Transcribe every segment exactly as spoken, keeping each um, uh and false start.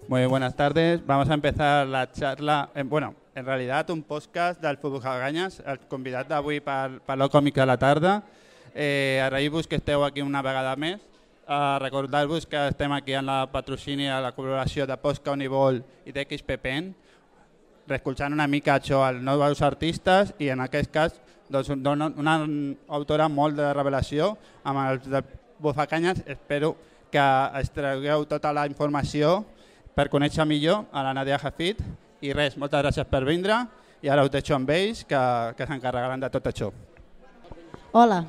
Muy buenas tardes. Vamos a empezar la charla. Eh, bueno, en realidad un podcast del Fotocaganyes, el convidat d'avui per, per la còmica a la tarda. Eh, Agrair-vos que esteu aquí una vegada més. Uh, Recordar-vos que estem aquí en la patrocini a la col·laboració de Posca Univol i d'X P P N, reescoltant una mica això als nous artistes i en aquest cas doncs, una autora molt de revelació amb els de Fotocaganyes. Espero que extragueu tota la informació per conèixer millor a la Nadia Hafid i res, moltes gràcies per vindre i ara us deixo amb ells que, que s'encarregaran de tot això. Hola.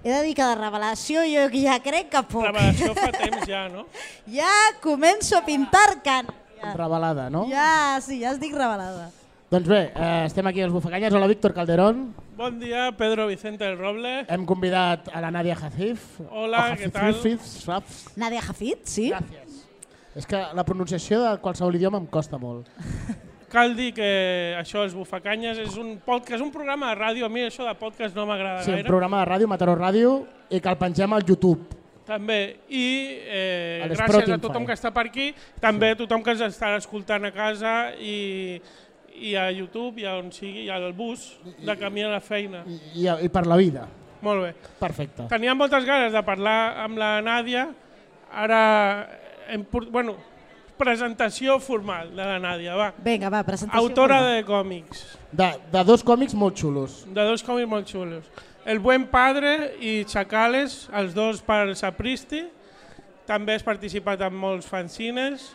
He de dir que de revelació jo ja crec que poc. Revelació fa temps ja, no? Ja començo a pintar can. Ja. Revelada, no? Ja, sí, ja es dic revelada. Doncs bé, eh, estem aquí als Bufacanyes. Hola, Víctor Calderón. Bon dia, Pedro Vicente del Roble. Hem convidat a la Nadia Hafid. Hola, què tal? Nadia Hafid, sí. Gràcies. És que la pronunciació de qualsevol idioma em costa molt. Cal dir que això, els Bufacanyes, és un podcast, un programa de ràdio. A mi això de podcast no m'agrada sí, gaire. Sí, un programa de ràdio, Mataró Ràdio, i que el pengem al YouTube. També. I eh, a gràcies a tothom que està per aquí, també a tothom que ens està escoltant a casa i, i a YouTube, i a on sigui, i al bus, de camí a la feina. I, i, i per la vida. Molt bé. Perfecte. Teníem moltes ganes de parlar amb la Nàdia. Ara, hem, bueno, presentació formal de la Nàdia, va. Vinga, va, presentació Autora formal. de còmics. De, de dos còmics molt xulos. De dos còmics molt xulos. El Buen Padre i Chacales, els dos per Sapristi. També has participat en molts fanzines.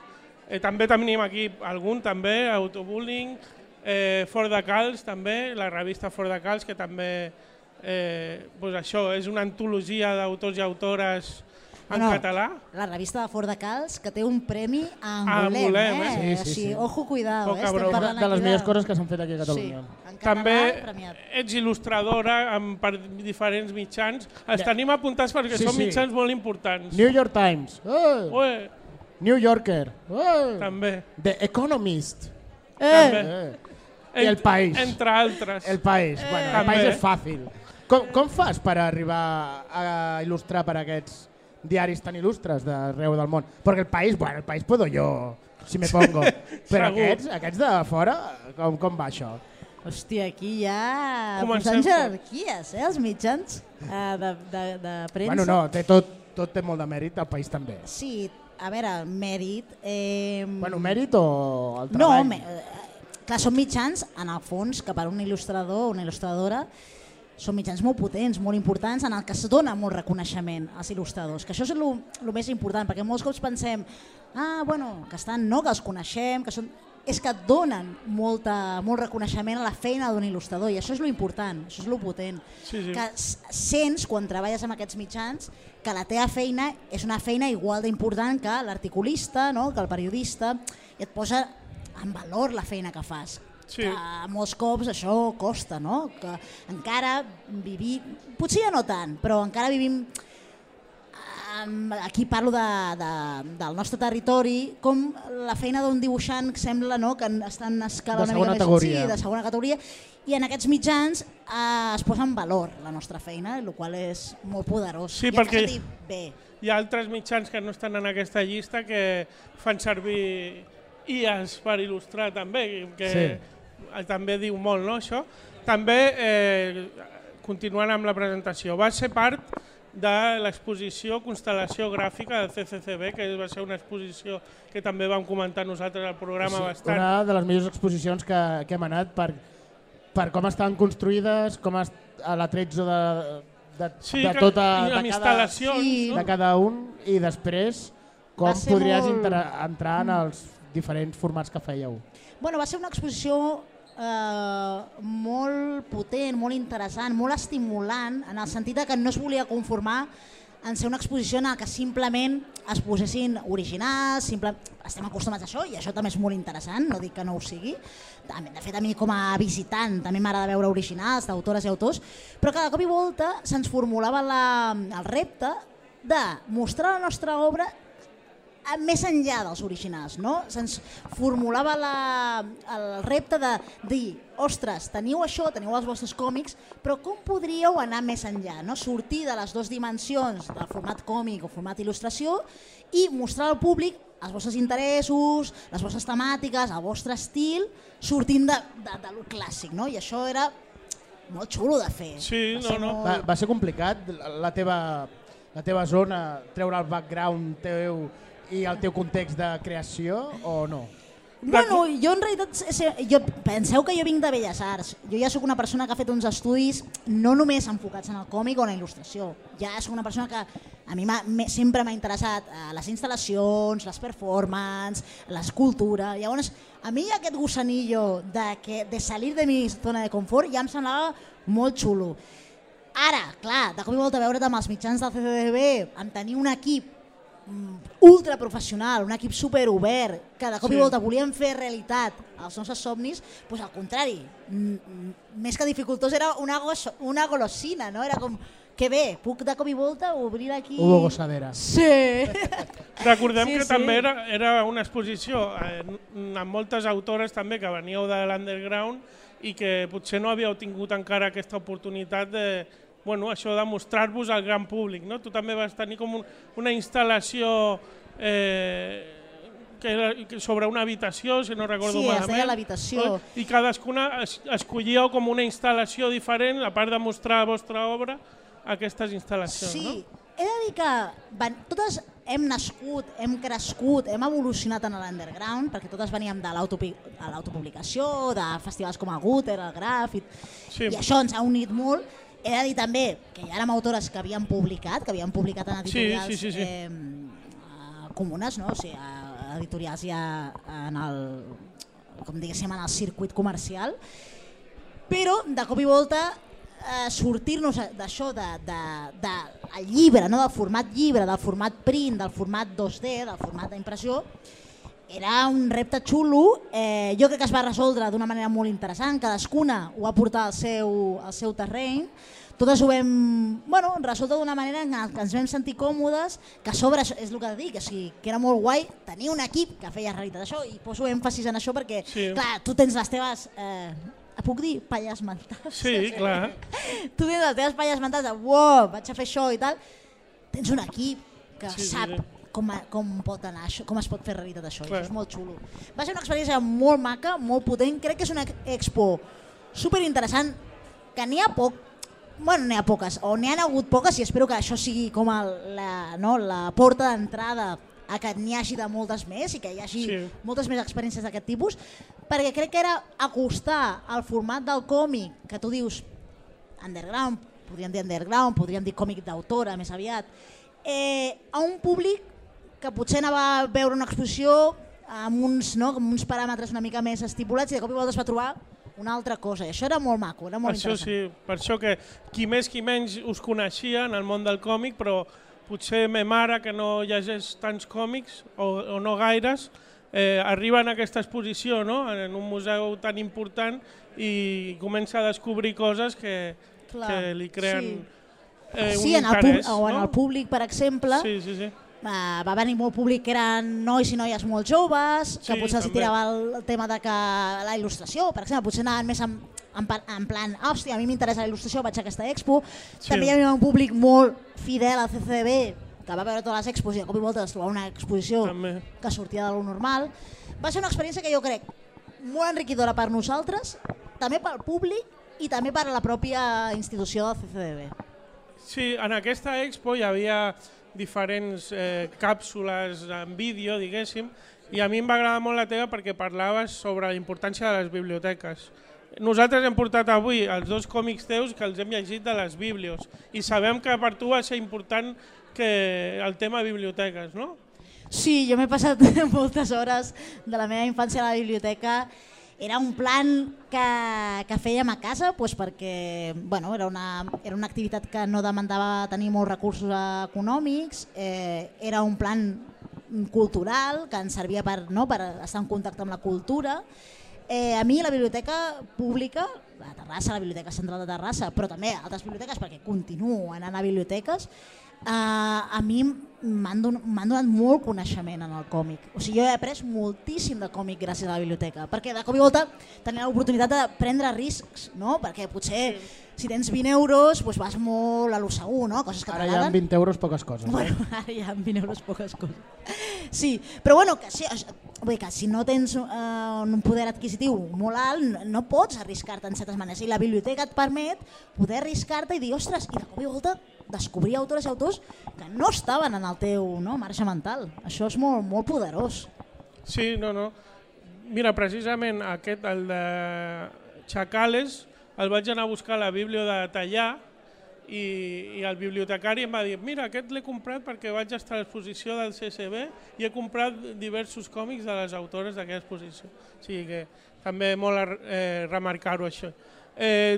Eh, també tenim aquí algun, també, Autobullying, eh, Fort de Calç, també, la revista Fort de Calç, que també, eh, pues això, és una antologia d'autors i autores en no, català. La revista de Fort de Calç, que té un premi a Angolem, Angolem, eh? eh? Sí, sí, sí, sí. Ojo, cuidado, Poca eh? Estem broma. parlant De les aquí millors coses que s'han fet aquí a Catalunya. Sí, en També català premiat. ets il·lustradora amb, per diferents mitjans. Els tenim apuntats perquè Sí, són sí. mitjans molt importants. New York Times. Oh! Ué, New Yorker. Oh! també. The Economist. també. Eh. I El País. Entre altres. El País. Bueno, el També. País és fàcil. Com, com fas per arribar a il·lustrar per aquests diaris tan il·lustres d'arreu del món? Perquè el País, bueno, el País puedo yo, si me pongo. Però Segur. aquests, aquests de fora, com, com va això? Hòstia, aquí ja Comencem posant jerarquies, eh, els mitjans eh, de, de, de premsa. Bueno, no, té tot, tot té molt de mèrit, el País també. Sí, a veure, mèrit... Eh... Bueno, mèrit o el No, treball? me, eh, clar, són mitjans, en el fons, que per un il·lustrador o una il·lustradora són mitjans molt potents, molt importants, en el que es dona molt reconeixement als il·lustradors, que això és el més important, perquè molts cops pensem ah, bueno, que estan, no, que els coneixem, que són... és que et donen molta, molt reconeixement a la feina d'un il·lustrador, i això és lo important, això és lo potent. Sí, sí. Que sents, quan treballes amb aquests mitjans, que la teva feina és una feina igual d'important que l'articulista, no? Que el periodista, i et posa en valor la feina que fas. Sí. Que molts cops això costa, no? Que encara vivim, potser ja no tant, però encara vivim, aquí parlo de, de, del nostre territori, com la feina d'un dibuixant que sembla, no? Que està en escala De una segona mica més categoria. sí, de segona categoria, i en aquests mitjans eh, es posa en valor la nostra feina, el qual és molt poderós. Sí, I ens perquè- sentim bé. Hi ha altres mitjans que no estan en aquesta llista que fan servir I As per il·lustrar també, que sí. També diu molt, no, això. També, eh, continuant amb la presentació, va ser part de l'exposició Constel·lació Gràfica del C C C B, que va ser una exposició que també vam comentar nosaltres al programa Sí, bastant. una de les millors exposicions que, que hem anat per, per com estan construïdes, com es, a l'attrezzo de, de, Sí, de que- tota i amb de cada, instal·lacions, Sí. no? de cada un, i després com Va ser podries molt- inter, entrar en els diferents formats que fèieu. Bueno, va ser una exposició eh, molt potent, molt interessant, molt estimulant, en el sentit de que no es volia conformar en ser una exposició en què simplement es posessin originals, simple... estem acostumats a això i això també és molt interessant, no dic que no ho sigui. De fet, a mi com a visitant també m'agrada veure originals d'autores i autors, però cada cop i volta se'ns formulava la, el repte de mostrar la nostra obra més enllà dels originals, no? Se'ns formulava la, el repte de dir, ostres, teniu això, teniu els vostres còmics, però com podríeu anar més enllà, no? Sortir de les dues dimensions del format còmic o format il·lustració i mostrar al públic els vostres interessos, les vostres temàtiques, el vostre estil, sortint de, de, de lo clàssic, no? I això era molt xulo de fer. Sí, no, no. molt... Va, va ser complicat la teva, la teva zona, treure el background teu i el teu context de creació o no? Bueno, jo en realitat, jo, penseu que jo vinc de Belles Arts, jo ja sóc una persona que ha fet uns estudis no només enfocats en el còmic o en la il·lustració, ja sóc una persona que a mi sempre m'ha interessat eh, les instal·lacions, les performances, l'escultura, llavors a mi aquest gusanillo de, que, de salir de mi zona de confort ja em semblava molt xulo. Ara, clar, de cop i volta veure't amb els mitjans del C C D B, amb tenir un equip ultra professional, un equip super obert, que de cop i volta volíem fer realitat els nostres somnis, doncs al contrari, més que dificultós era una, una golosina, no? Era com, que bé, puc de cop i volta obrir aquí... Hubo gossadera. Sí. Recordem sí, que sí. també era, era una exposició eh, amb moltes autores també que veníeu de l'underground i que potser no havíeu tingut encara aquesta oportunitat de bueno, això de mostrar-vos al gran públic, no? Tu també vas tenir com un, una instal·lació eh, que era sobre una habitació, si no recordo sí, malament. Sí, es deia l'habitació. I cadascuna es, escollíeu com una instal·lació diferent, a part de mostrar la vostra obra, aquestes instal·lacions, sí. no? He de dir que van, totes hem nascut, hem crescut, hem evolucionat en l'underground, perquè totes veníem de l'autopublicació, de festivals com el Guter, el Graf, i, sí. i això ens ha unit molt. He de dir també que hi érem autores que havien publicat, que havien publicat en editorials sí, sí, sí, sí. Eh, comunes, no? O sigui, editorials ja en el, com diguéssim, en el circuit comercial, però de cop i volta eh, sortir-nos d'això de, de, de, del llibre, no? Del format llibre, del format print, del format dos D, del format d'impressió, era un repte xulo, eh, jo crec que es va resoldre d'una manera molt interessant, cadascuna ho va portar al seu, al seu terreny, totes ho vam bueno, resoldre d'una manera en què ens vam sentir còmodes, que a sobre és el que dic, o sigui, que era molt guai tenir un equip que feia realitat això, i poso èmfasis en això perquè, sí. clar, tu tens les teves, eh, puc dir, palles mentals? Sí, clar. Tu tens les teves palles mentals de, wow, vaig a fer això i tal, tens un equip que sí, sap sí, sí. Com, com pot anar això, com es pot fer realitat això, Clar. això és molt xulo. Va ser una experiència molt maca, molt potent, crec que és una expo superinteressant, que n'hi ha poc, bueno, n'hi ha poques, o n'hi ha hagut poques i espero que això sigui com el, la, no, la porta d'entrada a que n'hi hagi de moltes més i que hi hagi sí. moltes més experiències d'aquest tipus, perquè crec que era acostar al format del còmic, que tu dius underground, podríem dir underground, podríem dir còmic d'autora més aviat, eh, a un públic que potser anava a veure una exposició amb uns, no, amb uns paràmetres una mica més estipulats i de cop i volta es va trobar una altra cosa. I això era molt maco, era molt això interessant. Sí, per això que qui més qui menys us coneixia en el món del còmic, però potser ma mare, que no llegeix tants còmics o, o no gaires, eh, arriba en aquesta exposició, no? En un museu tan important i comença a descobrir coses que, Clar, que li creen sí. eh, un sí, en interès. El o en no? el públic, per exemple, sí, sí, sí. Uh, va venir molt públic que eren nois i noies molt joves, que sí, potser els també. tirava el tema de que la il·lustració, per exemple, potser anaven més en, en, en plan, hòstia, a mi m'interessa la il·lustració, vaig a aquesta expo. Sí. També hi havia un públic molt fidel al C C D B, que va veure totes les expos i de cop i volta es trobava una exposició també. Que sortia de lo normal. Va ser una experiència que jo crec molt enriquidora per nosaltres, també pel públic i també per a la pròpia institució del C C D B. Sí, en aquesta expo hi havia diferents eh, càpsules en vídeo, diguéssim, i a mi em va agradar molt la teva perquè parlaves sobre la importància de les biblioteques. Nosaltres hem portat avui els dos còmics teus que els hem llegit de les biblios i sabem que per tu va ser important que el tema biblioteques, no? Sí, jo m'he passat moltes hores de la meva infància a la biblioteca. Era un plan que, que fèiem a casa doncs perquè bueno, era, una, era una activitat que no demandava tenir molts recursos econòmics, eh, era un plan cultural que ens servia per, no, per estar en contacte amb la cultura. Eh, a mi la biblioteca pública, la Terrassa, la Biblioteca Central de Terrassa, però també altres biblioteques perquè continuo anant a biblioteques, Uh, a mi m'han don donat molt coneixement en el còmic. O sigui, jo he après moltíssim de còmic gràcies a la biblioteca, perquè de cop i volta tenia l'oportunitat de prendre riscs, no? Perquè potser si tens vint euros doncs vas molt a lo segur, no? Coses que ara hi ha vint euros poques coses. Bueno, eh? Ara hi ha vint euros poques coses. Sí, però bueno, que, sí, vull dir que si no tens uh, un poder adquisitiu molt alt, no pots arriscar-te en certes maneres. I la biblioteca et permet poder arriscar-te i dir, ostres, i de cop i volta descobrir autores i autors que no estaven en el teu no, marge mental. Això és molt, molt poderós. Sí, no, no. Mira, precisament aquest, el de Chacales, el vaig anar a buscar a la Biblio de Tallà i, i el bibliotecari em va dir mira, aquest l'he comprat perquè vaig estar a l'exposició del C C B i he comprat diversos còmics de les autores d'aquella exposició. O sigui que també molt eh, remarcar-ho això. Eh,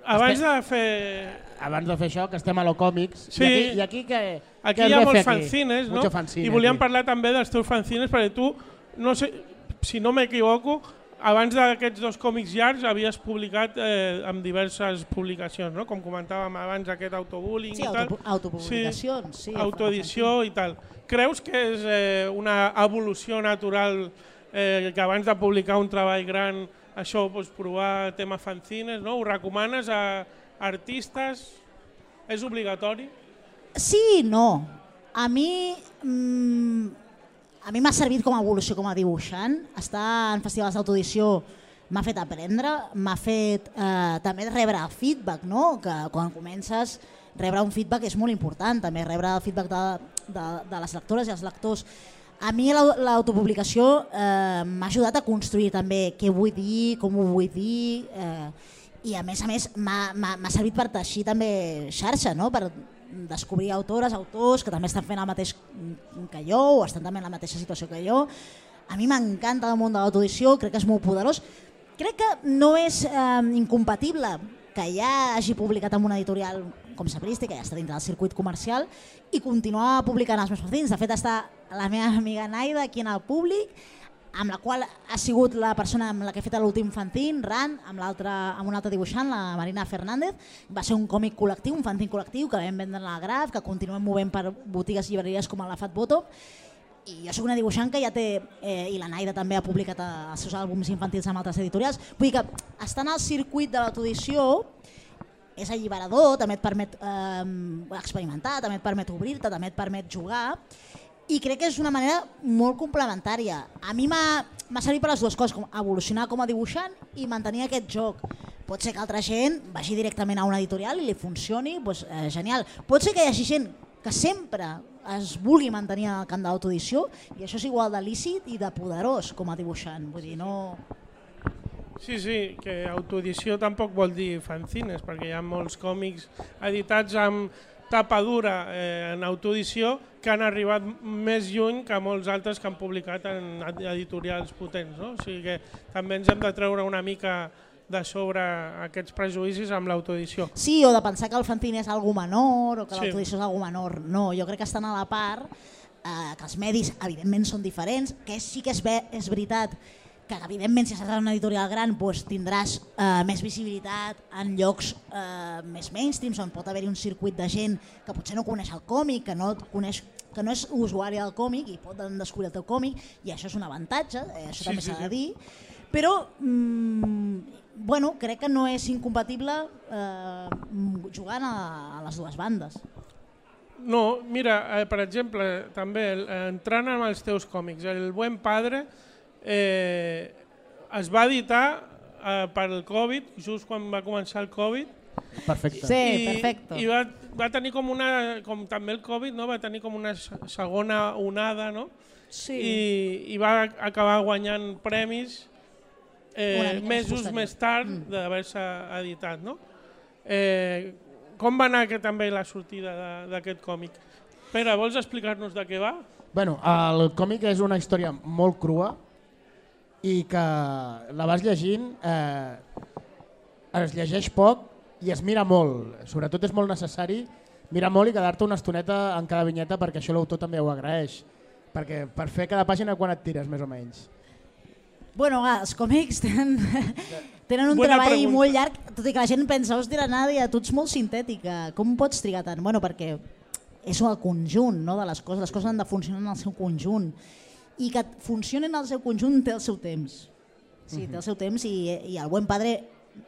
abans estem, de fer... Abans de fer això, que estem a lo còmics, sí, i aquí, i aquí què, aquí què hi ha molts aquí? fanzines, no? Fanzine, i volíem aquí. parlar també dels teus fanzines perquè tu, no sé, si no m'equivoco, abans d'aquests dos còmics llargs havies publicat eh, amb diverses publicacions, no? Com comentàvem abans, aquest autobullying sí, i tal. autopublicacions. Sí, sí, autoedició i tal. Creus que és eh, una evolució natural eh, que abans de publicar un treball gran això, doncs, provar tema fanzines, no? Ho recomanes a artistes? És obligatori? Sí i no. A mi... Mmm, A mi m'ha servit com a evolució com a dibuixant. Estar en festivals d'autoedició m'ha fet aprendre, m'ha fet eh, també rebre feedback, no? Que quan comences rebre un feedback és molt important, també rebre el feedback de, de, de les lectores i els lectors. A mi l'autopublicació eh, m'ha ajudat a construir també què vull dir, com ho vull dir, eh, i a més a més m'ha servit per teixir també xarxa, no? Per descobrir autores, autors que també estan fent el mateix que jo o estan també en la mateixa situació que jo. A mi m'encanta el món de l'autoedició, crec que és molt poderós. Crec que no és eh, incompatible que ja hagi publicat en una editorial com Sapristi, que ja està dintre del circuit comercial, i continuar publicant els meus fanzines. De fet, està la meva amiga Naida aquí en el públic, amb la qual ha sigut la persona amb la que he fet l'últim fanzine, Ran, amb, amb una altra dibuixant, la Marina Fernández. Va ser un còmic col·lectiu, un fanzine col·lectiu que vam vendre a la Graf, que continuem movent per botigues i llibreries com a la Fat Bottom. I jo soc una dibuixant que ja té, eh, i la Naida també ha publicat els seus àlbums infantils amb altres editorials. Vull dir que estar en el circuit de l'autoedició és alliberador, també et permet eh, experimentar, també et permet obrir-te, també et permet jugar. I crec que és una manera molt complementària. A mi m'ha servit per les dues coses, com evolucionar com a dibuixant i mantenir aquest joc. Pot ser que altra gent vagi directament a una editorial i li funcioni, doncs, eh, genial. Pot ser que hi hagi gent que sempre es vulgui mantenir en el camp de l'autoedició i això és igual de lícit i de poderós com a dibuixant. Vull dir, no... Sí, sí, que autoedició tampoc vol dir fanzines, perquè hi ha molts còmics editats amb tapa dura eh, en autoedició que han arribat més lluny que molts altres que han publicat en editorials potents, no? O sigui que també ens hem de treure una mica de sobre aquests prejudicis amb l'autoedició. Sí, o de pensar que el fanzine és algo menor o que sí. l'autoedició és algo menor. No, jo crec que estan a la part, eh, que els medis evidentment són diferents, que sí que és, ve, és veritat que evidentment si estàs en una editorial gran doncs, tindràs eh, més visibilitat en llocs eh, més mainstreams on pot haver-hi un circuit de gent que potser no coneix el còmic, que no, coneix, que no és usuari del còmic i poden descobrir el teu còmic i això és un avantatge, eh, això sí, també s'ha sí, de dir, però mm, bueno, crec que no és incompatible eh, jugant a, a les dues bandes. No, mira, eh, per exemple, també eh, entrant en els teus còmics, El Buen Padre eh, es va editar eh, per el Covid, just quan va començar el Covid. Perfecte. Sí, I, perfecte. I va, va tenir com una, com també el Covid, no? Va tenir com una segona onada, no? Sí. I, i va acabar guanyant premis eh, mesos posterior. Més tard mm. d'haver-se editat, no? Eh, com va anar que, també la sortida d'aquest còmic? Pere, vols explicar-nos de què va? Bueno, el còmic és una història molt crua i que la vas llegint, eh, es llegeix poc i es mira molt. Sobretot és molt necessari mirar molt i quedar-te una estoneta en cada vinyeta perquè això l'autor també ho agraeix. Perquè per fer cada pàgina quan et tires, més o menys? Bueno, els còmics tenen, tenen un Buena treball pregunta. molt llarg, tot i que la gent pensa, hòstia, Nàdia, tu ets molt sintètica, com pots trigar tant? Bueno, perquè és el conjunt, no, de les coses. Les coses han de funcionar en el seu conjunt. I que funcionin en el seu conjunt té el seu temps. Sí, té el seu temps i, i el Buen Padre,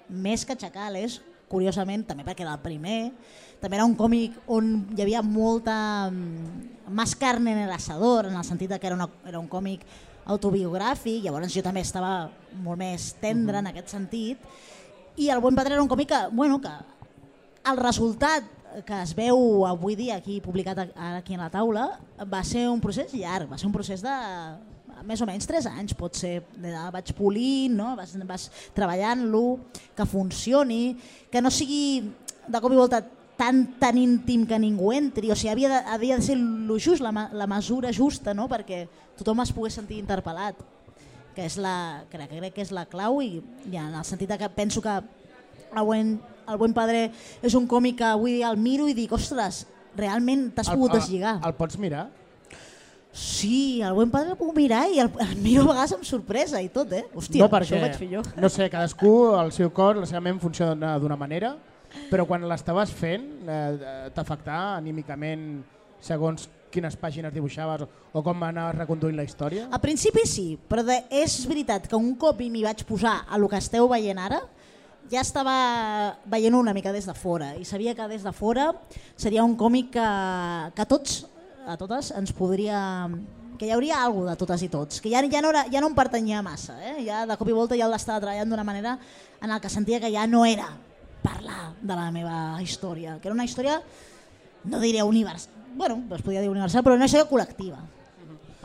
més que Chacales, curiosament, també perquè era el primer, també era un còmic on hi havia molta més carne en el asador, en el sentit que era, una, era un còmic autobiogràfic, llavors jo també estava molt més tendre en aquest sentit, i el Buen Padre era un còmic que, bueno, que el resultat que es veu avui dia aquí publicat aquí a la taula va ser un procés llarg, va ser un procés de més o menys tres anys, pot ser, vaig polint, no? vas, vas treballant-lo, que funcioni, que no sigui de cop i volta tan, tan íntim que ningú entri, o sigui, havia de, havia de ser lo just, la, la mesura justa, no? Perquè tothom es pogués sentir interpel·lat, que és la, crec, crec que és la clau, i, i en el sentit que penso que el Buen, el Buen Padre és un còmic que avui dia el miro i dic, ostres, realment t'has pogut deslligar. El, el pots mirar? Sí, el Buen Padre el puc mirar i el, el miro a vegades amb sorpresa i tot, eh? Hòstia, no, perquè, això ho vaig fer jo. No sé, cadascú, el seu cor, la seva ment funciona d'una manera, però quan l'estaves fent eh, t'afectava anímicament segons quines pàgines dibuixaves o, o com anaves reconduint la història? Al principi sí, però de, és veritat que un cop m'hi vaig posar a lo que esteu veient ara, ja estava veient una mica des de fora i sabia que des de fora seria un còmic que, que tots a totes ens podria, que hi hauria alguna de totes i tots, que ja, ja, no, era, ja no em pertanyia massa, eh? Ja de cop i volta ja l'estava treballant d'una manera en el que sentia que ja no era parlar de la meva història, que era una història, no diré universal, bueno, es podia dir universal, però una història col·lectiva.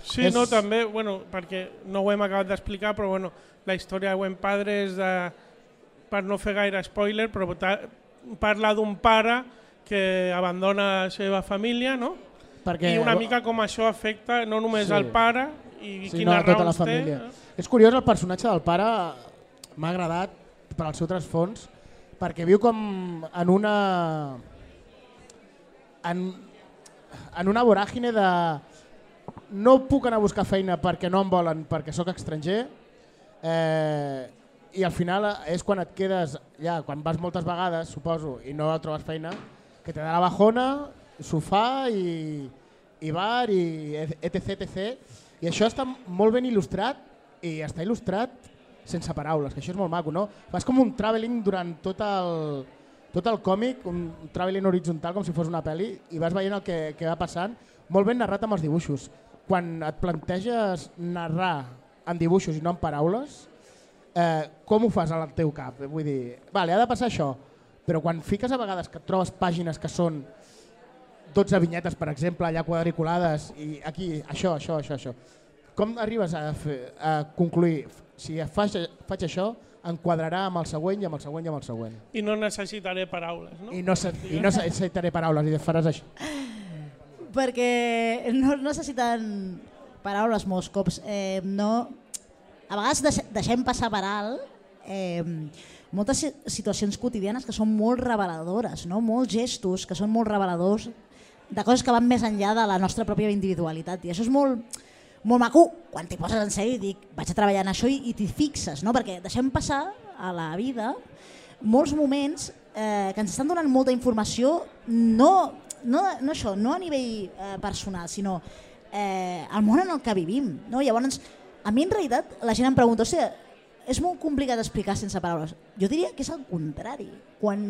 Sí, és... no, també, bueno, perquè no ho hem acabat d'explicar, però bueno, la història de Buen Padre és de, per no fer gaire spoiler, però parla d'un pare que abandona la seva família, no? Perquè... I una mica com això afecta no només sí. al pare i sí, quines no, tota raons la família. té. És curiós, el personatge del pare m'ha agradat per al seu trasfons perquè viu com en una en, en una voràgine de no puc anar a buscar feina perquè no em volen, perquè sóc estranger, eh, i al final és quan et quedes, ja quan vas moltes vegades, suposo, i no trobes feina, que te da la bajona, sofà i, i bar i etc, etc. I això està molt ben il·lustrat i està il·lustrat sense paraules, que això és molt maco, no? Fas com un travelling durant tot el, tot el còmic, un travelling horitzontal com si fos una pel·li i vas veient el que, que va passant, molt ben narrat amb els dibuixos. Quan et planteges narrar en dibuixos i no en paraules, eh, com ho fas al teu cap? Vull dir, vale, ha de passar això, però quan fiques a vegades que et trobes pàgines que són dotze vinyetes, per exemple, allà quadriculades, i aquí, això, això, això, això. Com arribes a, fer, a concluir, si faig, faig això, enquadrarà amb el següent i amb el següent i amb el següent. I no necessitaré paraules, no? I no, i no necessitaré paraules, i faràs això. Perquè no necessiten paraules molts cops. Eh, no, a vegades deixem passar per alt eh, moltes situacions quotidianes que són molt reveladores, no? Molts gestos que són molt reveladors de coses que van més enllà de la nostra pròpia individualitat, i això és molt, molt maco quan t'hi poses en sèrio i dic vaig a treballar en això i, i t'hi fixes, no? Perquè deixem passar a la vida molts moments eh, que ens estan donant molta informació, no, no, no això, no a nivell eh, personal, sinó eh, al món en el que vivim, no? Llavors, a mi en realitat la gent em pregunta, o sigui, és molt complicat explicar sense paraules. Jo diria que és el contrari. Quan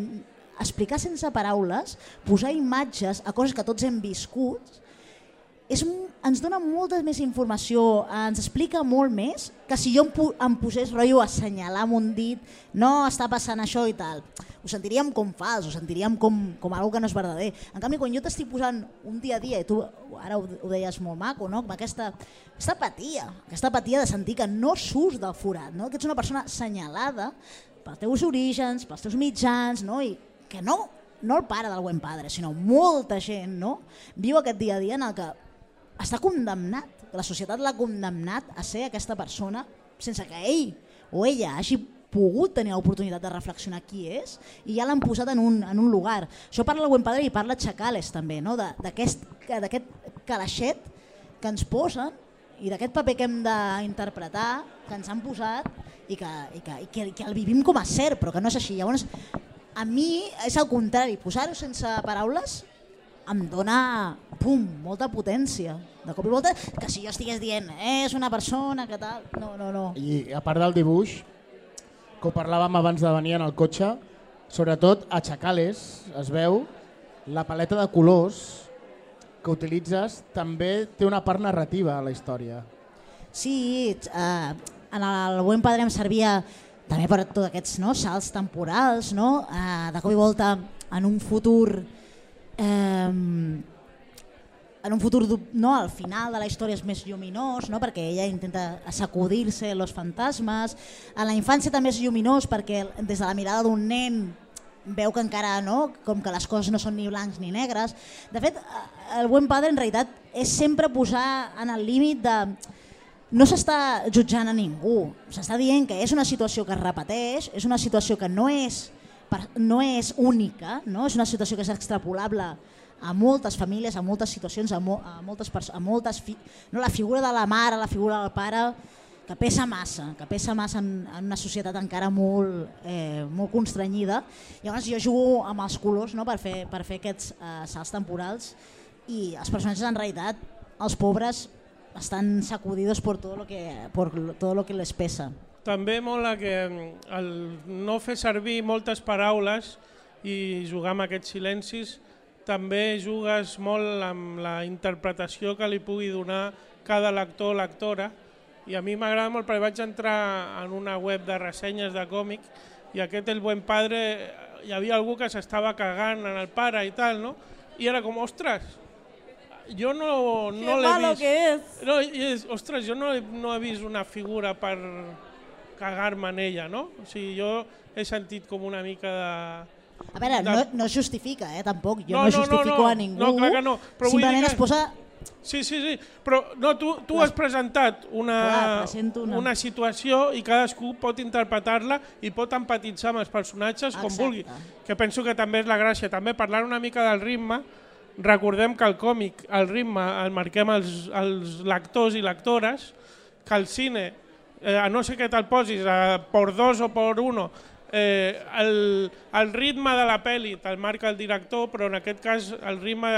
explicar sense paraules, posar imatges a coses que tots hem viscut, és, ens dona molta més informació, ens explica molt més que si jo em, em posés rotllo a assenyalar amb un dit, no està passant això i tal. Ho sentiríem com fals, ho sentiríem com, com algo que no és verdader. En canvi, quan jo t'estic posant un dia a dia, i tu ara ho, ho deies molt maco, no? Com aquesta, aquesta apatia, aquesta apatia de sentir que no surts del forat, no? Que ets una persona assenyalada pels teus orígens, pels teus mitjans, no? I que no, no el pare del Buen Padre, sinó molta gent, no? Viu aquest dia a dia en el que està condemnat, que la societat l'ha condemnat a ser aquesta persona sense que ell o ella hagi pogut tenir l'oportunitat de reflexionar qui és i ja l'han posat en un, en un lugar. Això parla el Buen Padre i parla Chacales també, no? d'aquest calaixet que ens posen i d'aquest paper que hem d'interpretar, que ens han posat i que, i, que, i, que, i que el vivim com a cert, però que no és així. Llavors, a mi és al contrari, posar-ho sense paraules em dona pum, molta potència. De cop i volta, que si jo estigués dient eh, és una persona que tal... No, no, no. I a part del dibuix, que ho parlàvem abans de venir en el cotxe, sobretot a Chacales es veu la paleta de colors que utilitzes també té una part narrativa a la història. Sí, eh, en el Buen Padre em servia també per tots aquests no, salts temporals, no? Eh, de cop i volta en un futur eh, en un futur no, al final de la història és més lluminós, no? Perquè ella intenta sacudir-se els fantasmes. En la infància també és lluminós perquè des de la mirada d'un nen veu que encara no, com que les coses no són ni blancs ni negres. De fet, el Buen Padre en realitat és sempre posar en el límit de... No s'està jutjant a ningú, s'està dient que és una situació que es repeteix, és una situació que no és, no és única, no? És una situació que és extrapolable a moltes famílies, a moltes situacions, a, mo, a moltes persones, a moltes fi, no? La figura de la mare, la figura del pare, que pesa massa, que pesa massa en, en una societat encara molt, eh, molt constrenyida. Llavors jo jugo amb els colors no? per, fer, per fer aquests eh, salts temporals i els personatges en realitat, els pobres, estan sacudidos por todo lo que, por todo lo que les pesa. També mola que el no fer servir moltes paraules i jugar amb aquests silencis també jugues molt amb la interpretació que li pugui donar cada lector o lectora. I a mi m'agrada molt perquè vaig entrar en una web de ressenyes de còmic i aquest El Buen Padre hi havia algú que s'estava cagant en el pare i tal, no? I era com, ostres, jo no, no l'he vist. Que és. No, és, ostres, jo no he, no he vist una figura per cagar-me en ella, no? O sigui, jo he sentit com una mica de... A veure, de... no, no es justifica, eh, tampoc. Jo no, no, no justifico no, no. a ningú. No, clar que no. Però simplement que... es posa... Sí, sí, sí. Però no, tu, tu has presentat una, clar, una... una situació i cadascú pot interpretar-la i pot empatitzar amb els personatges com Exacte. vulgui. Que penso que també és la gràcia. També parlant una mica del ritme, recordem que el còmic, el ritme, el marquem els, els lectors i lectores, que el cine, eh, a no ser que te'l posis a por dos o por uno, eh, el, el ritme de la pel·li te'l marca el director, però en aquest cas el ritme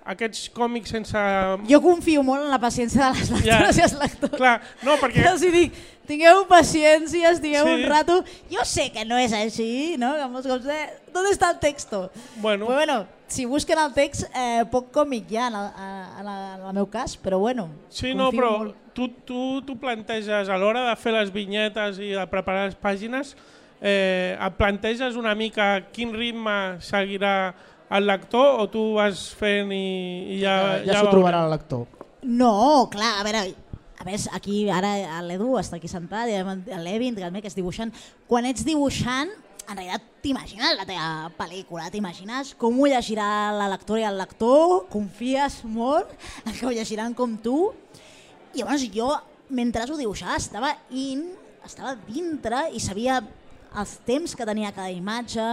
aquests còmics sense... Jo confio molt en la paciència de les lectores ja, i els lectors. Clar, no, perquè... Els dic, tingueu paciència, estigueu sí. un rato. Jo sé que no és així, no? Que molts cops, eh, ¿dónde está el texto? Bueno, però bueno, si busquen el text, eh, poc còmic ja en el, en, el, en el meu cas, però bueno, sí, no, però molt. tu, tu, tu planteges, a l'hora de fer les vinyetes i de preparar les pàgines, eh, et planteges una mica quin ritme seguirà el lector o tu vas fent i, i ja... Ja, ja s'ho trobarà el lector. No, clar, a veure, a més aquí ara l'Edu està aquí sentat, i l'Evin, que és dibuixant. Quan ets dibuixant, en realitat t'imagines la teva pel·lícula, t'imagines com ho llegirà la lectora i el lector, confies molt en que ho llegiran com tu. I llavors jo, mentre ho dibuixava, estava in, estava dintre i sabia els temps que tenia cada imatge.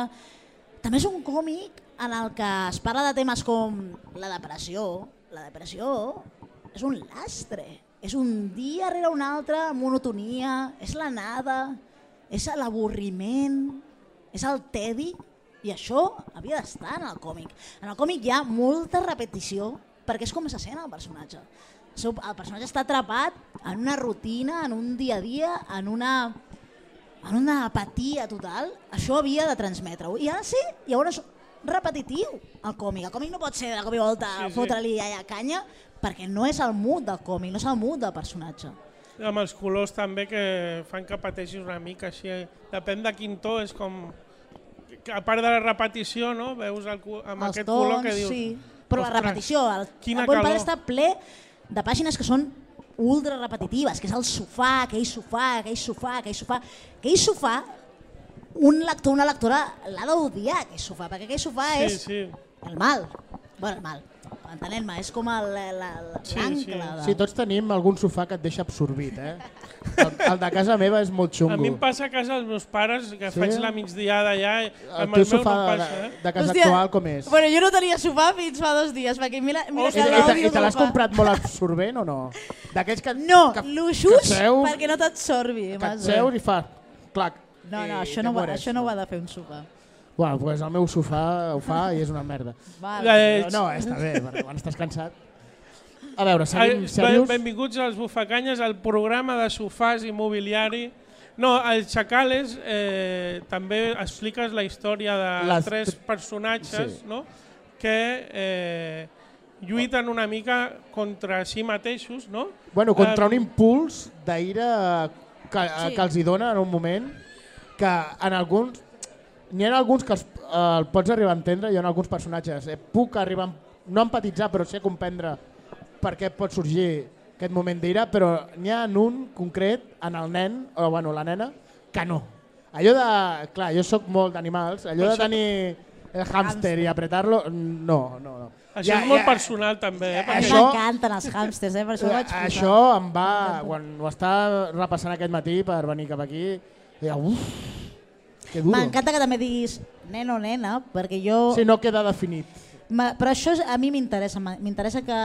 També és un còmic en el que es parla de temes com la depressió. La depressió és un lastre, és un dia rere un altre, monotonia, és la nada, és l'avorriment, és el tedi, i això havia d'estar en el còmic. En el còmic hi ha molta repetició perquè és com se sent el personatge. El personatge està atrapat en una rutina, en un dia a dia, en una... en una apatia total. Això havia de transmetre-ho. I ara sí, llavors repetitiu el còmic. El còmic no pot ser de cop i volta sí, sí. fotre-li allà canya perquè no és el mood del còmic, no és el mood del personatge. I amb els colors també que fan que pateixis una mica així. Depèn de quin to, és com... A part de la repetició, no? Veus el, amb els aquest tons, color que dius... Sí. Però la repetició, el, el Buen Padre està ple de pàgines que són ultra repetitives, que és el sofà, aquell sofà, aquell sofà, aquell sofà. Aquell sofà, un lector, una lectora l'ha d'odiar, aquell sofà, perquè aquell sofà sí, és sí. el mal. Bueno, el mal. Entenem-me, és com l'ancle. Sí, sí. De... sí, tots tenim algun sofà que et deixa absorbit, eh? El, el de casa meva és molt xungo. A mi em passa a casa dels meus pares, que sí? faig la migdiada allà, el teu sofà no passa, de, de casa Hòstia, actual com és? Bueno, jo no tenia sofà fins fa dos dies, perquè mira, mira oh, que I, i, i te l'has comprat molt absorbent o no? D'aquells que... No, que, luxus que seus, perquè no t'absorbi. Que et seus i fa... Clac. No, no, això no, va, això no ho ha de fer un sofà. Bueno, pues el meu sofà ho fa i és una merda. Eh, No, no, està bé, perquè quan estàs cansat... A veure, seguim Eh, serios. Benvinguts als Bufacanyes, al programa de sofàs i mobiliari. No, al Chacales eh, també expliques la història de Les tres tr- personatges, sí. no? que eh, lluiten una mica contra si mateixos, no? Bueno, contra Eh, un impuls d'ira que, Sí. que els hi dona en un moment que en alguns... N'hi ha alguns que els, eh, el pots arribar a entendre i hi ha alguns personatges. Eh, puc arribar, a- no a empatitzar, però sí a comprendre per què pot sorgir aquest moment d'ira, però n'hi ha en un concret, en el nen, o bueno, la nena, que no. Allò de... Clar, jo sóc molt d'animals, allò de Això- tenir el hàmster i apretar-lo, no, no, no. Això és molt personal també. Eh? A mi Perquè Això- m'encanten els hàmsters, eh? Per això ho vaig posar. Això em va... Quan ho estava repassant aquest matí per venir cap aquí, deia, uf, que duro. M'encanta que també diguis nen o nena, perquè jo... Si no queda definit. Ma- Però això és- a mi m'interessa, m'a- m'interessa que,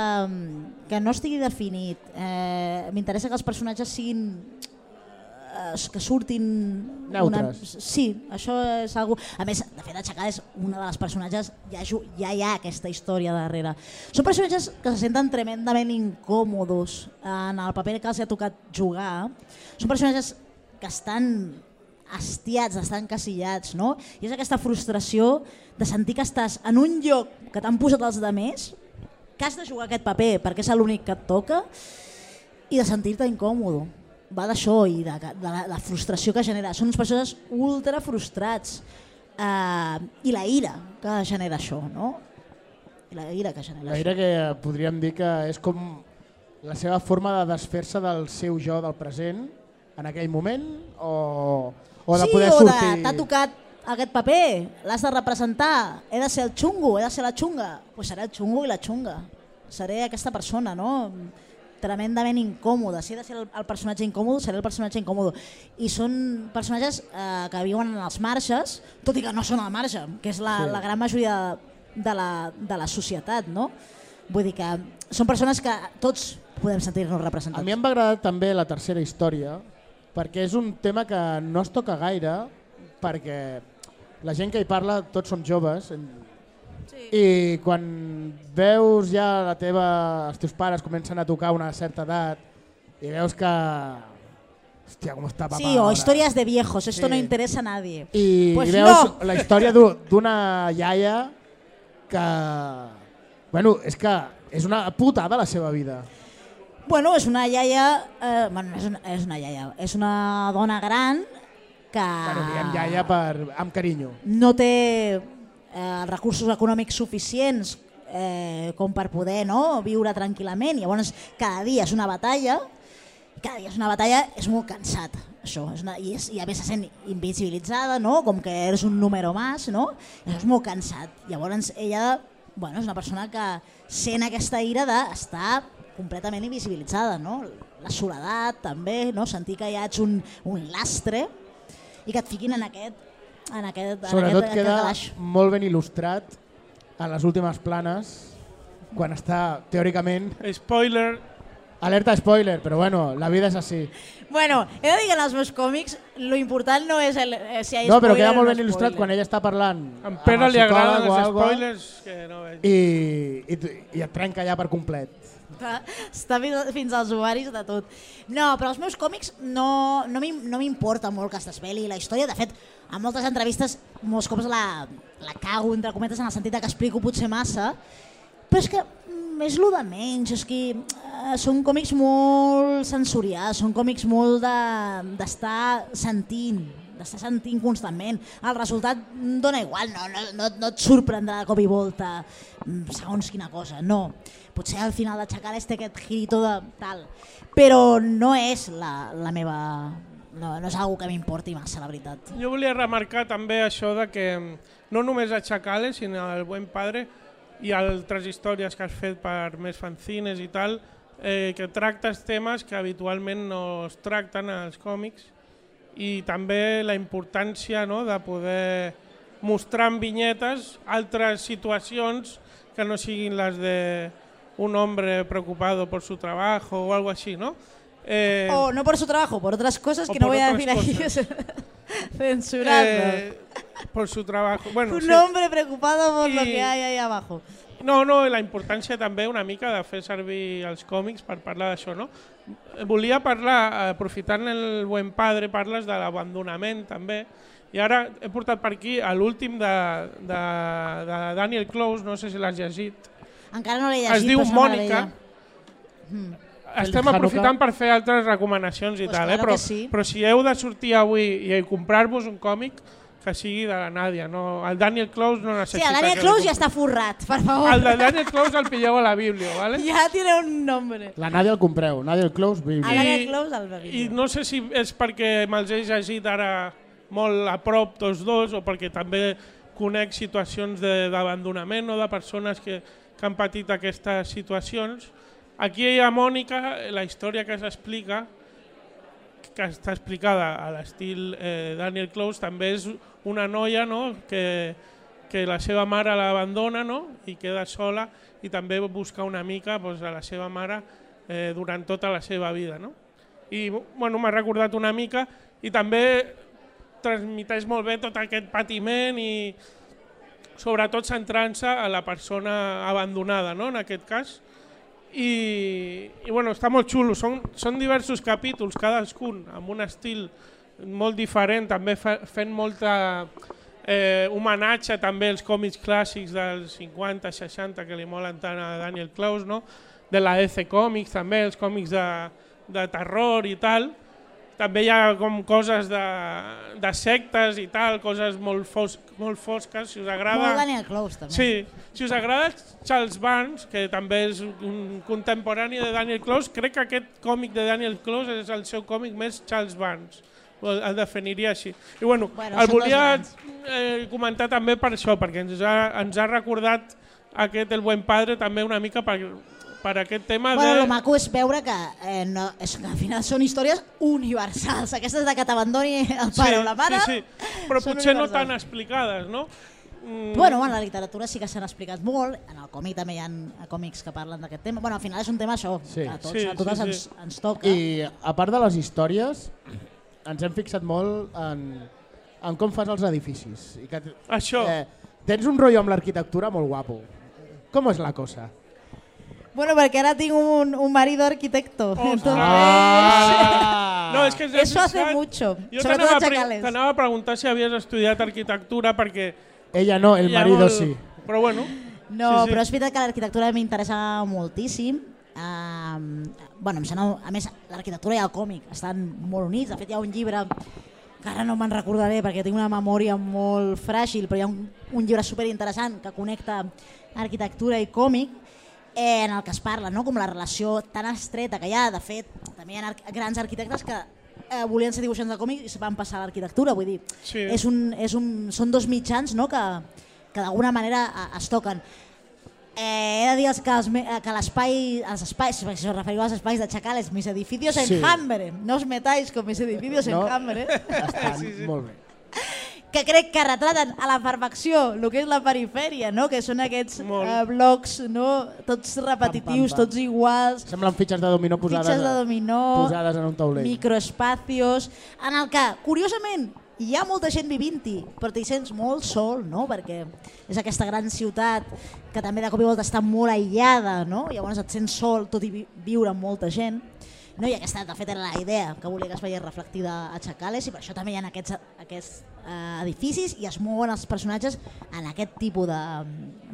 que no estigui definit, eh, m'interessa que els personatges siguin, eh, que surtin... Neutres. Sí, això és algo... A més, de fet, Aixecar és una de les personatges, ja, ju- ja hi ha aquesta història darrere. Són personatges que se senten tremendament incòmodos en el paper que els ha tocat jugar. Són personatges que estan hastiats, estan encasillats, no? I és aquesta frustració de sentir que estàs en un lloc que t'han posat els altres, que has de jugar aquest paper perquè és l'únic que et toca, i de sentir-te incòmodo. Va d'això i de, de la, la frustració que genera. Són unes persones ultra frustrats. Eh, I la ira que genera això, no? I la ira que genera La ira que podríem dir que és com la seva forma de desfer-se del seu jo del present en aquell moment o, o de sí, poder o sortir... de t'ha tocat aquest paper, l'has de representar, he de ser el xungo, he de ser la xunga. Doncs pues seré el xungo i la xunga. Seré aquesta persona, no? Tremendament incòmoda. Si he de ser el, el personatge incòmodo, seré el personatge incòmodo. I són personatges eh, que viuen en els marges, tot i que no són al marge, que és la, Sí. la gran majoria de la, de la societat, no? Vull dir que són persones que tots podem sentir-nos representats. A mi em va agradar també la tercera història perquè és un tema que no es toca gaire perquè la gent que hi parla tots som joves sí. I quan veus ja la teva, els teus pares comencen a tocar una certa edat i veus que hòstia, com està papà Sí, o ahora. històries de viejos, esto Sí. no interesa a nadie. I, Pues i veus no. la història d'u- d'una iaia que bueno, és que és una putada la seva vida. Bueno, és una iaia, eh, bueno, no és una, és una iaia, és una dona gran que Bueno, diguem iaia per, amb carinyo. no té eh, recursos econòmics suficients eh, com per poder no, viure tranquil·lament. Llavors, cada dia és una batalla, cada dia és una batalla, és molt cansat. Això, és una, i, és, I a més se sent invisibilitzada, no? Com que eres un número més, no? I això és molt cansat. Llavors ella bueno, és una persona que sent aquesta ira d'estar completament invisibilitzada, no? La soledat també, no? Sentir que ja ets un, un lastre i que et fiquin en aquest, en aquest, en Sobretot aquest, queda aquest calaix. molt ben il·lustrat a les últimes planes quan està teòricament... Spoiler, Alerta spoiler, però bueno, la vida és així. Bueno, he de dir que en els meus còmics lo important no és el, eh, si hi ha No, però spoiler queda o molt no ben il·lustrat spoiler. quan ella està parlant a en amb Pere el li agraden psicòleg o els algo spoilers que no veig. i, i, i et trenca ja per complet. Està, està fins- fins als ovaris de tot. No, però els meus còmics no, no m'im- no m'importa molt que es desveli la història. De fet, en moltes entrevistes molts cops la, la cago, entre cometes, en el sentit que explico potser massa, però és que mm, és lo de menys, és que eh, són còmics molt sensorials, són còmics molt de- d'estar de, sentint, d'estar sentint constantment. El resultat dona igual, no, no, no, no et sorprendrà de cop i volta mm, segons quina cosa, no. Potser al final d'aixecar té aquest girito de tal, però no és la, la meva... No, no és una que m'importi massa, la veritat. Jo volia remarcar també això de que no només a Chacales, sinó al Buen Padre i altres històries que has fet per més fanzines i tal, eh, que tractes temes que habitualment no es tracten als còmics i també la importància no, de poder mostrar en vinyetes altres situacions que no siguin les de un hombre preocupado por su trabajo o algo así, ¿no? Eh, O no por su trabajo, por otras cosas o que no por voy a otras decir aquí, cosas. censurando. Eh, por su trabajo. Bueno, Un sí. hombre preocupado por I- lo que hay ahí abajo. No, no, i la importància també una mica de fer servir els còmics per parlar d'això, no? Volia parlar, aprofitant el Buen Padre, parles de l'abandonament també, i ara he portat per aquí a l'últim de, de, de Daniel Close, no sé si l'has llegit. Encara no l'he llegit, Es diu però és una Mònica. meravella. Mm. Estem Hanukkah. aprofitant per fer altres recomanacions i Pues tal, claro eh? però, que sí. però si heu de sortir avui i comprar-vos un còmic, que sigui de la Nàdia. No, el Daniel Close no Sí, necessita... el Daniel que Close li ja està forrat, per favor. El de Daniel Close el pilleu a la Bíblia, ¿vale? Ja tiene un nombre. La Nàdia el compreu, Nàdia el Close, El Bíblia. Daniel Close el I Bíblia. no sé si és perquè me'ls he llegit ara molt a prop tots dos o perquè també conec situacions de- d'abandonament o de persones que, que han patit aquestes situacions. Aquí a Mònica, la història que s'explica, que està explicada a l'estil eh, Daniel Close, també és una noia, no?, que, que la seva mare l'abandona, no?, i queda sola i també busca una mica pues, a la seva mare eh, durant tota la seva vida. No? I bueno, m'ha recordat una mica i també transmiteix molt bé tot aquest patiment i sobretot centrant-se a la persona abandonada, no?, en aquest cas. I, i bueno, està molt xulo, són, són diversos capítols, cadascun amb un estil molt diferent, també fe, fent molta eh, homenatge també als còmics clàssics dels cinquanta seixanta que li molen tant a Daniel Close, no? De la D C Comics també, els còmics de, de terror i tal. També hi ha com coses de, de sectes i tal, coses molt, fos, molt fosques, si us agrada... Molt Daniel Close, també. Sí, si us agrada Charles Barnes, que també és un contemporani de Daniel Close, crec que aquest còmic de Daniel Close és el seu còmic més Charles Barnes, el, el definiria així. I bueno, Bueno, el són dos volia grans. eh, comentar també per això, perquè ens ha, ens ha recordat aquest El Buen Padre també una mica per, per aquest tema Bueno, de... el maco és veure que, eh, no, és que al final són històries universals. Aquestes de que t'abandoni el pare o la mare sí, sí, però són potser no universals. tan explicades, no? Mm, Bueno, en la literatura sí que s'han explicat molt, en el còmic també hi ha còmics que parlen d'aquest tema. Bueno, al final és un tema això, Sí. que a tots, Sí, a totes sí, ens, sí. ens toca. I a part de les històries, ens hem fixat molt en, en com fas els edificis. I que, Això. Eh, tens un rotllo amb l'arquitectura molt guapo. Com és la cosa? Bueno, perquè ara tinc un, un marido arquitecto. Entonces, Ah! No, és que ens hem eso hace fixat- mucho, Jo sobre t'anava todo a pre- Chacales. t'anava a preguntar si havies estudiat arquitectura perquè... Ella no, el hi ha marido molt- sí. Però bueno, No, sí, sí. però és veritat que l'arquitectura m'interessa moltíssim. Um, bueno, em sembla, a més, l'arquitectura i el còmic estan molt units. De fet, hi ha un llibre que ara no me'n recordaré perquè tinc una memòria molt fràgil, però hi ha un, un llibre superinteressant que connecta arquitectura i còmic, eh, en el que es parla, no? Com la relació tan estreta que hi ha. De fet, també hi ha ar grans arquitectes que eh, volien ser dibuixants de còmic i se van passar a l'arquitectura. Vull dir, Sí. és un, és un, són dos mitjans, no? que, que d'alguna manera eh, es toquen. Eh, he de dir que, els, me- eh, que l'espai, els espais, si us referiu als espais de Chacales, mis edificios Sí. en Hambre, no os metáis con mis edificios No. en Hambre, Estan Sí, sí. molt bé. que crec que retraten a la perfecció el que és la perifèria, no? Que són aquests Molt. eh, blocs, no? Tots repetitius, pam. tots iguals, Semblen fitxes de dominó posades, fitxes de dominó, posades en un taulell. microespacios, en el que, curiosament, hi ha molta gent vivint-hi, però t'hi sents molt sol, no? Perquè és aquesta gran ciutat que també de cop i volta està molt aïllada, no? Llavors et sents sol tot i vi viure amb molta gent. No? I aquesta, de fet, era la idea que volia que es veiés reflectida a Chacales i per això també hi ha aquests, aquests eh, edificis i es mouen els personatges en aquest tipus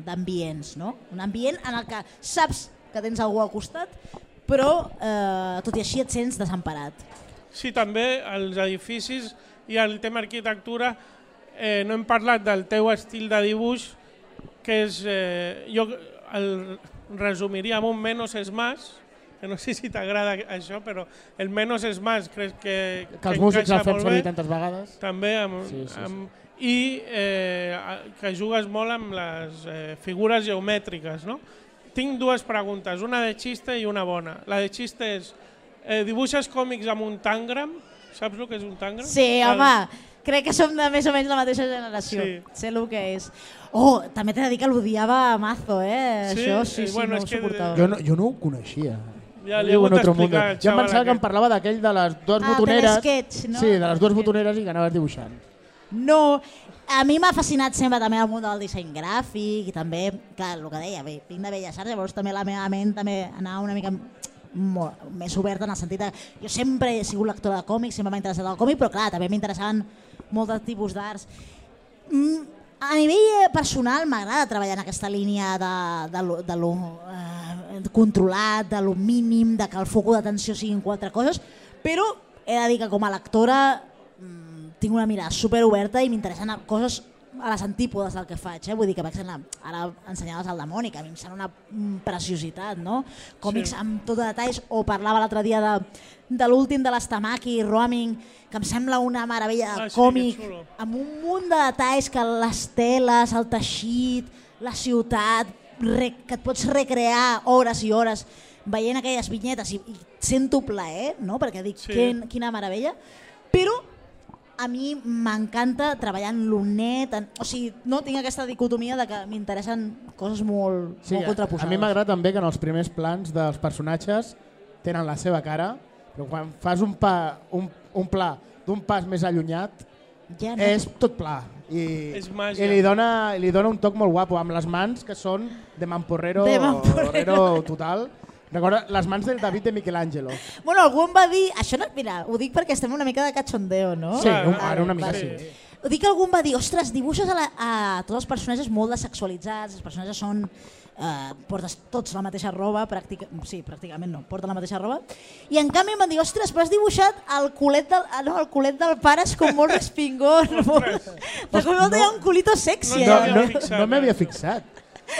d'ambients, no? Un ambient en el que saps que tens algú al costat, però eh, tot i així et sents desemparat. sí, també els edificis i el tema arquitectura, eh, no hem parlat del teu estil de dibuix, que és, eh, jo el resumiria amb un menos es más, que no sé si t'agrada això, però el menos es más crec que, Que els músics encaixa el fem molt servir bé. tantes vegades. També, amb, Sí, sí, sí. amb, i eh, que jugues molt amb les eh, figures geomètriques, no? Tinc dues preguntes, una de xiste i una bona. La de xiste és, eh, dibuixes còmics amb un tangram? Saps el que és un tangram? Sí, El- home, crec que som de més o menys la mateixa generació. Sí. Sé el que és. Oh, també t'he de dir que l'odiava a mazo, eh? Sí? Això sí, Eh, sí, bueno, no és ho que- suportava. Jo no, jo no ho coneixia. Ja li he Viu hagut en otro d'explicar mundo. al Jo em xaval pensava que em aquest. parlava d'aquell de les dues Ah, botoneres. telesketch, no? Sí, de les dues Telesketch. botoneres i que anaves dibuixant. No, a mi m'ha fascinat sempre també el món del disseny gràfic i també, clar, el que deia, bé, vinc de Belles Arts, llavors també la meva ment també anava una mica molt, més oberta en el sentit que jo sempre he sigut lectora de còmics, sempre m'ha interessat el còmic, però clar, també m'interessaven molts tipus d'arts. Mm, a nivell personal m'agrada treballar en aquesta línia de, de, lo, de lo eh, controlat, de lo mínim, de que el foc d'atenció siguin quatre coses, però he de dir que com a lectora mm, tinc una mirada superoberta i m'interessen coses a les antípodes del que faig, eh? Vull dir que, per exemple, ara ensenyaves el demoni, que a mi em sembla una preciositat, no? Còmics sí. amb tot de detalls, o parlava l'altre dia de, de l'últim de l'Estamaki, Roaming, que em sembla una meravella de ah, còmic, sí, amb un munt de detalls que les teles, el teixit, la ciutat, re, que et pots recrear hores i hores veient aquelles vinyetes i, i sento plaer, no? Perquè dic, sí. que, quina meravella, però a mi m'encanta treballar en l'unet, o sigui, no tinc aquesta dicotomia de que m'interessen coses molt, sí, molt contraposades. A mi m'agrada també que en els primers plans dels personatges tenen la seva cara, però quan fas un, pa, un, un pla d'un pas més allunyat, ja no. és tot pla. I, és màgia. I li dona, li dona un toc molt guapo, amb les mans que són de Mamporrero, de Mamporrero. total. Recorda les mans del David de Michelangelo. Bueno, algú em va dir, això no, mira, ho dic perquè estem una mica de cachondeo, no? Sí, un, ara una mica sí. sí. Ho dic que algú em va dir, ostres, dibuixes a, la, a tots els personatges molt desexualitzats, els personatges són, eh, portes tots la mateixa roba, pràctica, sí, pràcticament no, porten la mateixa roba, i en canvi em van dir, ostres, però has dibuixat el culet del, ah, no, el culet del pare és com molt respingón, molt, de cop no, hi ha un culito sexy. No, no, no, no m'havia fixat.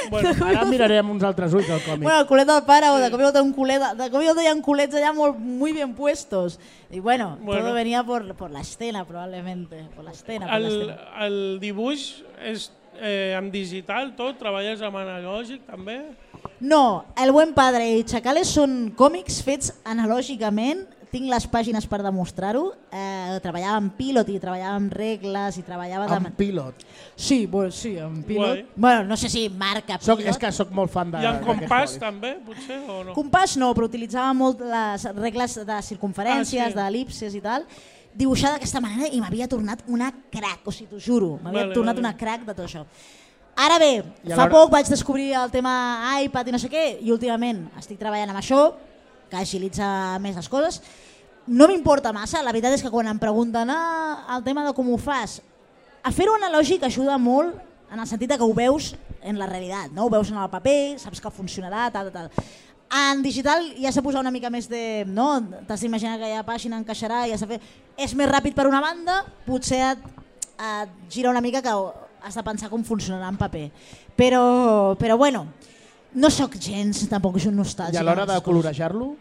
Bueno, ara mirarem uns altres ulls del còmic. Bueno, el culet del pare, o de cop i volta un culet, de cop i volta hi ha culets allà molt, muy bien puestos. Y bueno, bueno. todo venía por, por la escena, probablemente. Por la escena, por el, la escena. El dibuix és eh, en digital tot? Treballes amb analògic també? No, El buen padre i Chacales són còmics fets analògicament. Tinc les pàgines per demostrar-ho. Eh, treballava amb Pilot i treballava amb regles i treballava... Amb de... Pilot? Sí, bueno, sí, amb Pilot. Bueno, no sé si marca Pilot. Soc, és que sóc molt fan de... I amb Compàs també, potser, o no? Compàs no, però utilitzava molt les regles de circunferències, ah, sí. d'el·lipses i tal, dibuixar d'aquesta manera i m'havia tornat una crac, o sigui, t'ho juro, m'havia vale, tornat vale. una crac de tot això. Ara bé, fa poc vaig descobrir el tema iPad i no sé què, i últimament estic treballant amb això, que agilitza més les coses. No m'importa massa, la veritat és que quan em pregunten ah, el tema de com ho fas, a fer-ho analògic ajuda molt en el sentit que ho veus en la realitat, no? Ho veus en el paper, saps que funcionarà, tal, tal. En digital ja s'ha posat una mica més de... No? T'has d'imaginar que aquella pàgina encaixarà, ja fer... és més ràpid per una banda, potser et, et gira una mica que has de pensar com funcionarà en paper. Però, però bueno, no sóc gens, tampoc és un nostàlgic. I a l'hora de colorejar-lo?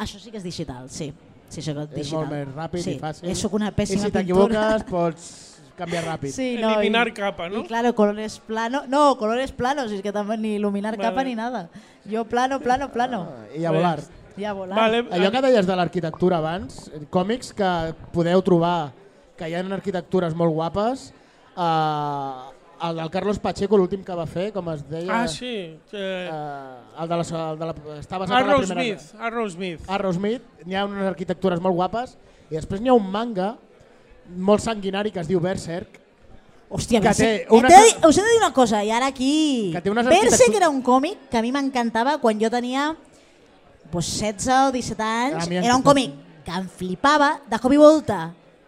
Això sí que és digital, sí. sí és digital. molt més ràpid sí. i fàcil. I soc una pèssima I si t'equivoques pots canviar ràpid. Sí, no, eliminar i, capa, no? Y claro, colores plano, no, colores planos, es que tampoco ni iluminar vale. capa ni nada. Yo plano, plano, plano. Ah, I a volar. I a volar. Vale. Allò que deies de l'arquitectura abans, còmics que podeu trobar, que hi ha arquitectures molt guapes, eh, el del Carlos Pacheco, l'últim que va fer, com es deia... Ah, sí. Eh... Uh, el de la, el de la, està basat Arrow en la primera... Smith. Arrow Smith. Arrow Smith. N'hi ha unes arquitectures molt guapes i després n'hi ha un manga molt sanguinari que es diu Berserk. Hòstia, que té una... he de, us he de dir una cosa, i ara aquí... Berserk arquitectures... era un còmic que a mi m'encantava quan jo tenia pues, setze o disset anys. Era un còmic que em flipava. De cop i volta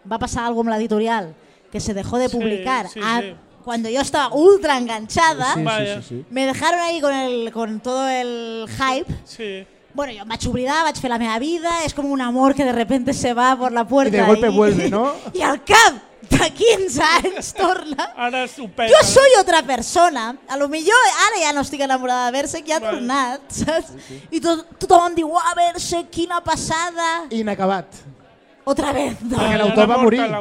va passar alguna amb l'editorial que se dejó de publicar sí, sí, a... sí. Cuando yo estaba ultra enganchada, sí, sí, sí, sí. me dejaron ahí con, el, con todo el hype. Sí. Bueno, yo me vaig oblidar, vaig fer la meva vida, es como un amor que de repente se va por la puerta. Y de golpe y, vuelve, ¿no? Y al cap de quinze anys torna. Ara estupenda. Jo soy otra persona. A lo millor ara ja no estic enamorada de Berserk, ja ha vale. tornat, saps? Sí, sí. I tot, tothom em diu, uah, Berserk, quina passada. Inacabat. Otra vez. No. Perquè l'autor va morir. Clar.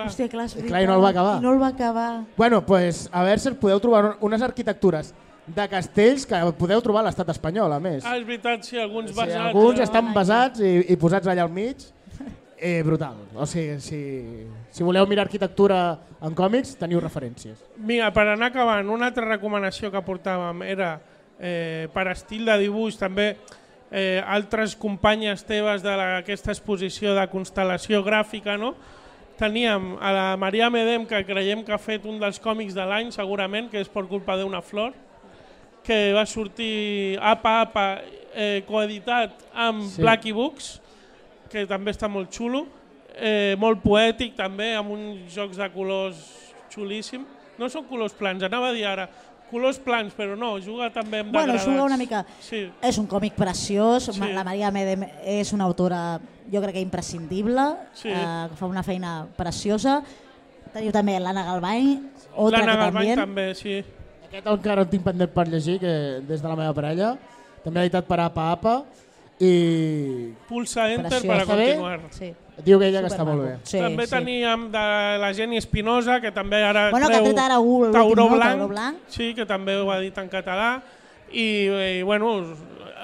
Hòstia, clar, és clar, i no el va acabar. I no el va acabar. Bueno, pues a Berserk podeu trobar unes arquitectures de castells que podeu trobar a l'estat espanyol, a més. Ah, és veritat, sí, alguns sí, basats. Alguns estan basats i, i posats allà al mig. Eh, brutal. O sigui, si, si voleu mirar arquitectura en còmics, teniu referències. Mira, per anar acabant, una altra recomanació que portàvem era eh, per estil de dibuix, també eh, altres companyes teves d'aquesta exposició de constel·lació gràfica, no? teníem a la Maria Medem, que creiem que ha fet un dels còmics de l'any, segurament, que és per culpa d'una flor, que va sortir Apa Apa, eh, coeditat amb Sí. Blackie Books, que també està molt xulo, eh, molt poètic també, amb uns jocs de colors xulíssim. No són colors plans, anava a dir ara, colors plans, però no, juga també amb Bueno, degradats. juga una mica. Sí. És un còmic preciós, Sí. la Maria Medem és una autora, jo crec que imprescindible, Sí. eh, que fa una feina preciosa. Teniu també l'Anna Galvany, otra L'Anna que Galvany també. també, sí. Aquest encara el tinc pendent per llegir, que des de la meva parella. També editat per Apa Apa. I Pulsa Enter Preciós. per a Està bé? continuar. Sí. diu que ella que està Supermaco. molt bé. Sí, també sí. teníem de la Jenny Espinosa, que també ara Bueno, que treu ha tret ara un- Tauró l'últim, no? Blanc, Tauró Blanc. Sí, que també ho ha dit en català. I, i bueno,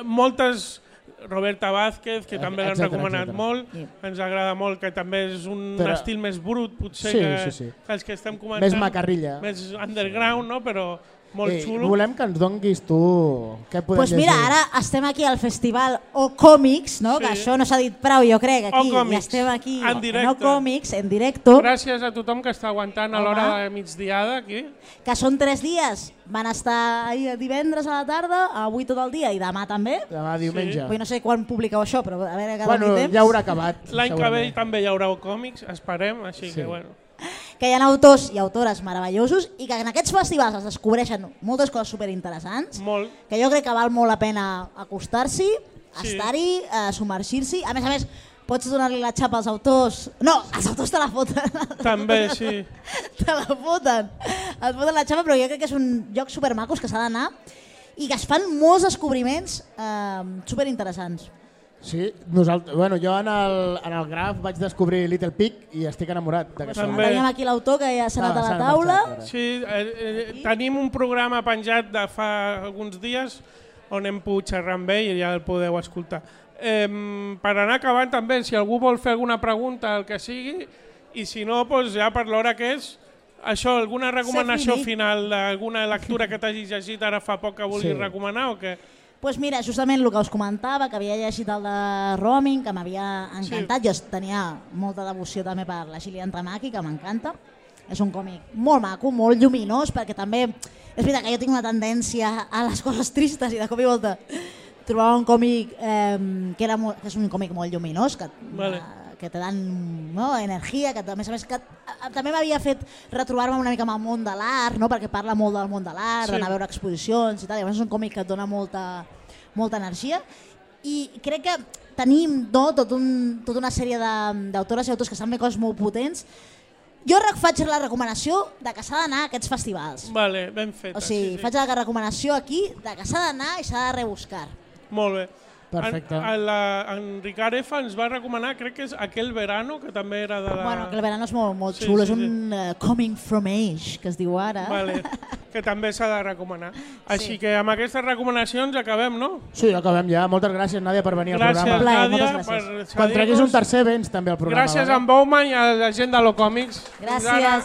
moltes... Roberta Vázquez, que també l'han Etcètera, recomanat etcètera. molt, Sí. ens agrada molt, que també és un Però- estil més brut, potser, Sí, que, sí, sí. que els que estem comentant. Més macarrilla. Més underground, no? Però molt Eh, xulo. volem que ens donguis tu què podem Pues mira, llegir. ara estem aquí al festival O Còmics, no? Sí. Que això no s'ha dit prou, jo crec, aquí. O Còmics, I estem aquí en directe. O Còmics, en directo, Gràcies a tothom que està aguantant a Home. l'hora de migdiada aquí. que són tres dies. Van estar ahir divendres a la tarda, avui tot el dia i demà també. Demà diumenge. Vull no sé quan publiqueu això, però a veure que Bueno, doni temps. ja haurà acabat. L'any que ve segurament. també hi haurà còmics, esperem, així Sí. que bueno. Que hi ha autors i autores meravellosos i que en aquests festivals es descobreixen moltes coses superinteressants, Molt. que jo crec que val molt la pena acostar-s'hi, Sí. estar-hi, eh, submergir-s'hi. A més a més, pots donar-li la xapa als autors. No, els autors te la foten. També, sí. Te la foten. Et foten la xapa, però jo crec que és un lloc supermacos que s'ha d'anar i que es fan molts descobriments eh, superinteressants. Sí, nosaltres, bueno, jo en el, en el graf vaig descobrir Little Pig i estic enamorat d'aquesta. També. Teníem aquí l'autor que ja s'ha anat Ah, a s'ha la marxat, taula. ara. Sí, eh, eh, tenim un programa penjat de fa alguns dies on hem pogut xerrar amb ell i ja el podeu escoltar. Eh, per anar acabant també, si algú vol fer alguna pregunta, el que sigui, i si no, doncs ja per l'hora que és, això, alguna recomanació finit. final d'alguna lectura que t'hagis llegit ara fa poc que vulguis Sí. recomanar o què? Pues mira, justament el que us comentava, que havia llegit el de Roaming, que m'havia encantat. Sí. Jo tenia molta devoció també per la Gillian Tamaki, que m'encanta. És un còmic molt maco, molt lluminós, perquè també és veritat que jo tinc una tendència a les coses tristes i de cop i volta trobava un còmic eh, que, era molt, que és un còmic molt lluminós, que, Vale. eh, que te dan no, energia, que a més a més que, a, també m'havia fet retrobar-me una mica amb el món de l'art, no? Perquè parla molt del món de l'art, Sí. d'anar a veure exposicions i tal, i a més és un còmic que et dona molta, molta energia. I crec que tenim no, tot un, tota una sèrie de- d'autores i autors que estan fent coses molt potents. Jo rec- faig la recomanació de que s'ha d'anar a aquests festivals. Vale, ben feta. O sigui, sí, sí. faig la recomanació aquí de que s'ha d'anar i s'ha de rebuscar. Molt bé. Perfecte. En, en, la, en Ricard F ens va recomanar, crec que és Aquel Verano, que també era de la... Bueno, que el verano és molt, molt Sí, xulo, sí, és un uh, coming from age, que es diu ara. Vale, que també s'ha de recomanar. Així Sí. que amb aquestes recomanacions acabem, no? Sí, acabem ja. Moltes gràcies, Nàdia, per venir al Gràcies, programa. Plaer, Nàdia, moltes per gràcies. Quan treguis cedir-nos. un tercer, vens també al programa. Gràcies vale? a en Bowman i a la gent de l'Ocòmics. Fins ara. Gràcies.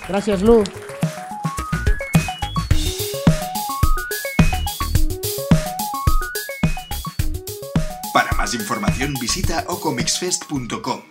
Gràcies, Lu. Para más información visita o comics fest punto com.